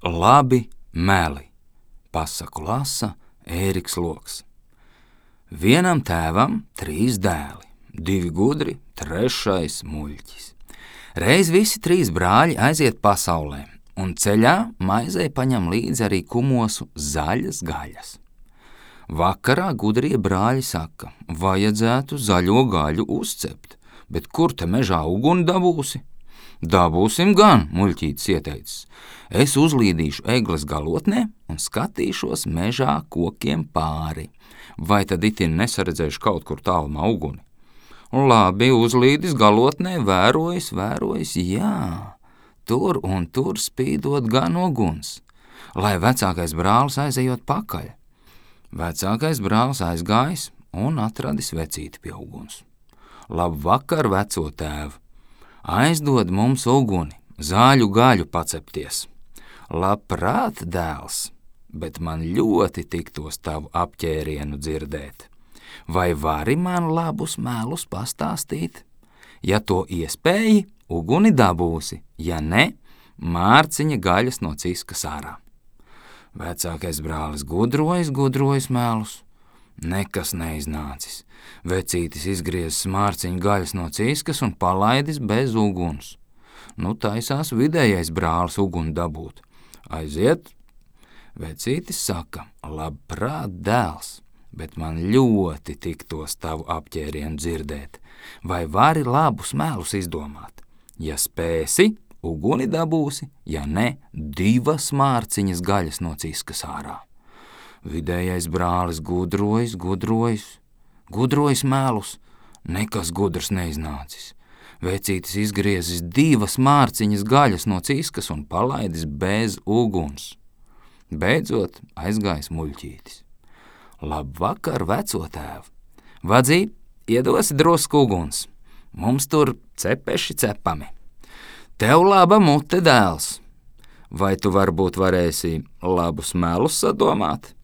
Labi meli, pasaku lasa Ēriks Loks. Vienam tēvam 3 dēli, 2 gudri, 3 muļķis. Reiz visi 3 brāļi aiziet pasaulē, un ceļā maizei paņem līdzi arī kumosu zaļas gaļas. Vakarā gudrie brāļi saka, vajadzētu zaļo gaļu uzcept, bet kur te mežā uguni dabūsi? Dabūsim gan, muļķītis ieteicis. Es uzlīdīšu egles galotnē un skatīšos mežā kokiem pāri. Vai tad itin nesaredzēšu kaut kur tālumā uguni? Labi, uzlīdis galotnē, vērojis, jā, tur un tur spīdot gan uguns, lai vecākais brālis aizejot pakaļ. Vecākais brālis aizgājis un atradis vecīti pie uguns. Labvakar, veco tēvu! Aizdod mums uguni, zāļu gaļu pacepties. Labprāt, dēls, bet man ļoti tiktos tavu apķērienu dzirdēt. Vai vari man labus melus pastāstīt? Ja to iespēji, uguni dabūsi, ja ne, mārciņa gaļas no ciskas ārā. Vecākais brālis gudrojis melus. Nekas neiznācis. Vecītis izgriezis mārciņu gaļas no ciskas un palaidis bez uguns. Taisās vidējais brālis uguni dabūt. Aiziet. Vecītis saka, labprāt, dēls, bet man ļoti tiktos tavu apķērienu dzirdēt. Vai vari labus melus izdomāt? Ja spēsi, uguni dabūsi, ja ne, 2 mārciņas gaļas no ciskas ārā. Vidējais brālis gudrojis melus, nekas gudrs neiznācis. Vecītis izgriezis 2 mārciņas gaļas no ciskas un palaidis bez uguns. Beidzot aizgājis muļķītis. Labvakar, veco tēvu! Vadzī, iedosi drusku uguns, mums tur cepeši cepami. Tev laba mute, dēls! Vai tu varbūt varēsi labus melus sadomāt?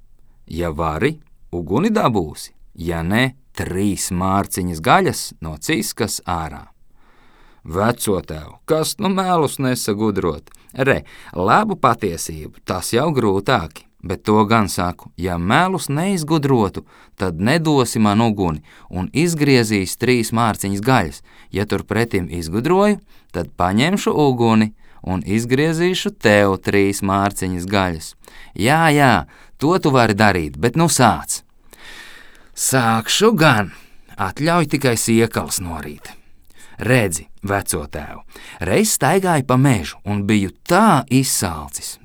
Ja vari, uguni dabūsi, ja ne, 3 mārciņas gaļas no ciskas ārā. Veco tev, kas melus nesagudrot? Labu patiesību, tas jau grūtāki, bet to gan saku, ja melus neizgudrotu, tad nedosi man uguni un izgriezīs 3 mārciņas gaļas. Ja turpretim izgudroju, tad paņemšu uguni un izgriezīšu tev 3 mārciņas gaļas. Jā, to tu vari darīt, bet sāc. Sākšu gan, atļauj tikai siekalas norīt. Redzi, veco tēvu, reiz staigāju pa mežu un biju tā izsalcis,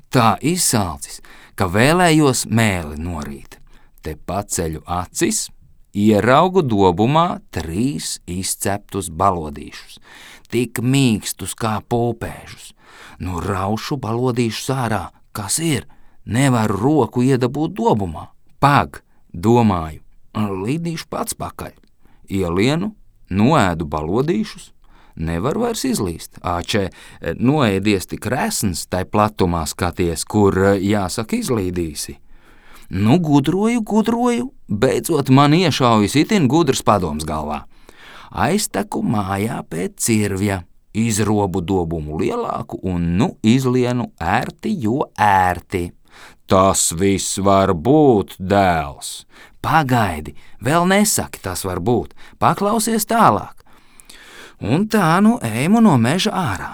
ka vēlējos mēli norīt. Te paceļu acis, ieraugu dobumā 3 izceptus balodīšus, tik mīkstus kā pulpēžus. Raušu balodīšus ārā, kas ir? Nevaru roku iedabūt dobumā. Pag, domāju, līdīšu pats pakaļ. Ielienu, noēdu balodīšus, nevar vairs izlīst. Noēdies tik resns, tai platumā skaties, kur, jāsaka, izlīdīsi. Gudroju, beidzot man iešaujas itin gudrs padoms galvā. Aizteku mājā pēc cirvja, izrobu dobumu lielāku un izlienu ērti, jo ērti. Tas viss var būt, dēls. Pagaidi, vēl nesaki, tas var būt. Paklausies tālāk. Un tā eju no meža ārā.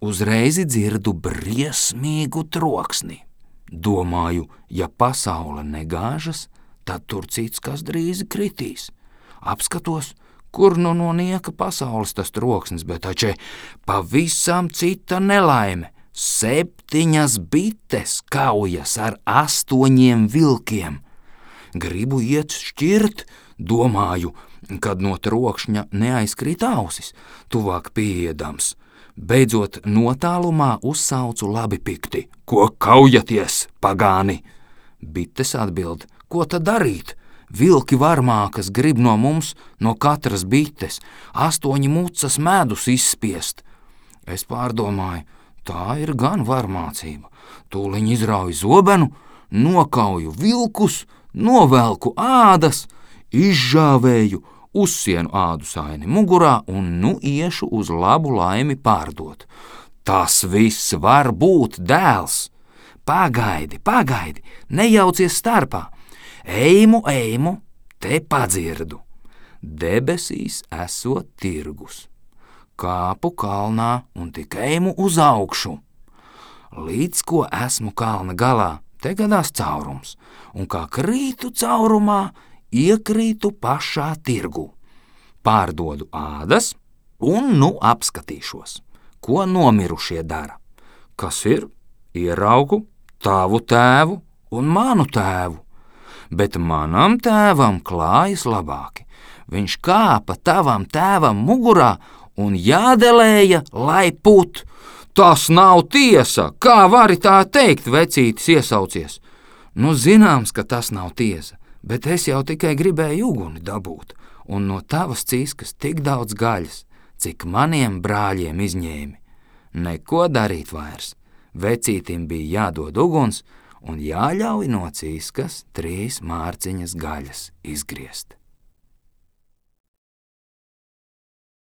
Uzreiz dzirdu briesmīgu troksni. Domāju, ja pasaule negāžas, tad tur cits kas drīz kritīs. Apskatos, kur no nieka pasaules tas troksnis, bet taču pavisam cita nelaime. 7 bites kaujas ar 8 vilkiem. Gribu iet šķirt, domāju, kad no trokšņa neaizkrīt ausis, tuvāk pieejams. Beidzot notālumā uzsaucu labi pikti. Ko kaujaties, pagāni? Bites atbild, ko tad darīt? Vilki varmā, kas grib no mums, no katras bites, 8 mucas medus izspiest. Es pārdomāju, tā ir gan varmācība. Tūliņ izrauju zobenu, nokauju vilkus, novelku ādas, izžāvēju, uzsienu ādu saini mugurā un iešu uz labu laimi pārdot. Tas viss var būt, dēls. Pagaidi, nejaucies starpā. Eimu, te padzirdu. Debesīs esot tirgus. Kāpu kalnā un tik eimu uz augšu. Līdz ko esmu kalna galā, te gadās caurums, un kā krītu caurumā, iekrītu pašā tirgu. Pārdodu ādas un apskatīšos, ko nomirušie dara. Kas ir? Ieraugu tavu tēvu un manu tēvu, bet manam tēvam klājas labāki. Viņš kāpa tavam tēvam mugurā un jādelēja, lai put. Tas nav tiesa, kā vari tā teikt, vecītis iesaucies. Zināms, ka tas nav tiesa, bet es jau tikai gribēju uguni dabūt, un no tavas ciskas tik daudz gaļas, cik maniem brāļiem izņēmi. Neko darīt vairs. Vecītim bija jādod uguns un jāļauj no ciskas 3 mārciņas gaļas izgriezt.